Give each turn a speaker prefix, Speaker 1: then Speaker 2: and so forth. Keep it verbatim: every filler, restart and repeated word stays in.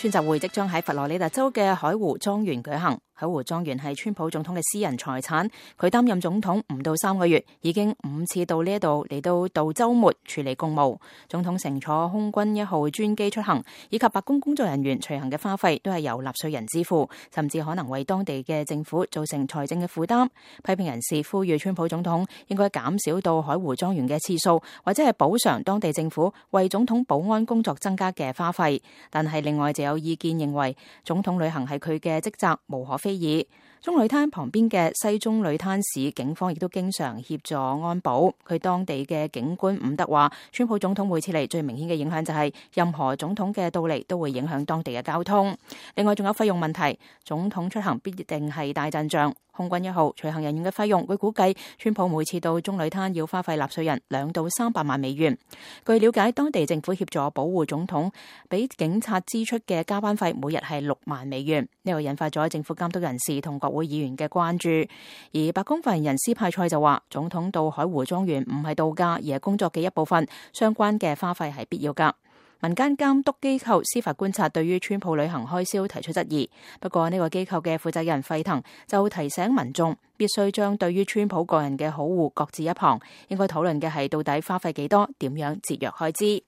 Speaker 1: 宣習會即將喺佛羅里達州嘅海湖莊園舉行。海湖莊園係川普總統嘅私人財產，佢擔任總統唔到三個月，已經五次到呢一度嚟到度週末處理公務。總統乘坐空軍一號專機出行，以及白宮工作人員隨行嘅花費都係由納稅人支付，甚至可能為當地嘅政府造成財政嘅負擔。批評人士呼籲川普總統應該減少到海湖莊園嘅次數，或者係補償當地政府為總統保安工作增加嘅花費。但係另外就有意見認為，總統旅行係佢嘅職責，無可非議。中旅灘旁邊嘅西中旅灘市警方亦都經常協助安保。佢當地嘅警官伍德話，川普總統每次嚟最明顯嘅影響就係任何總統嘅到嚟都會影響當地嘅交通。另外仲有費用問題，總統出行必定係大陣仗。空軍一號隨行人員嘅費用，會估計川普每次到中旅灘要花費納稅人兩到三百萬美元。據了解，當地政府協助保護總統，俾警察支出嘅加班費每日係六萬美元。呢個引發咗政府監督人士同國會議員嘅關注。而白宮發言人斯派塞就話，總統到海湖莊園唔係度假，而係工作嘅一部分，相關嘅花費係必要㗎。民間監督機構司法觀察對於川普旅行開銷提出質疑，不過呢個機構嘅負責人費騰就提醒民眾必須將對於川普個人嘅好惡擱置一旁，應該討論嘅係到底花費幾多，點樣節約開支。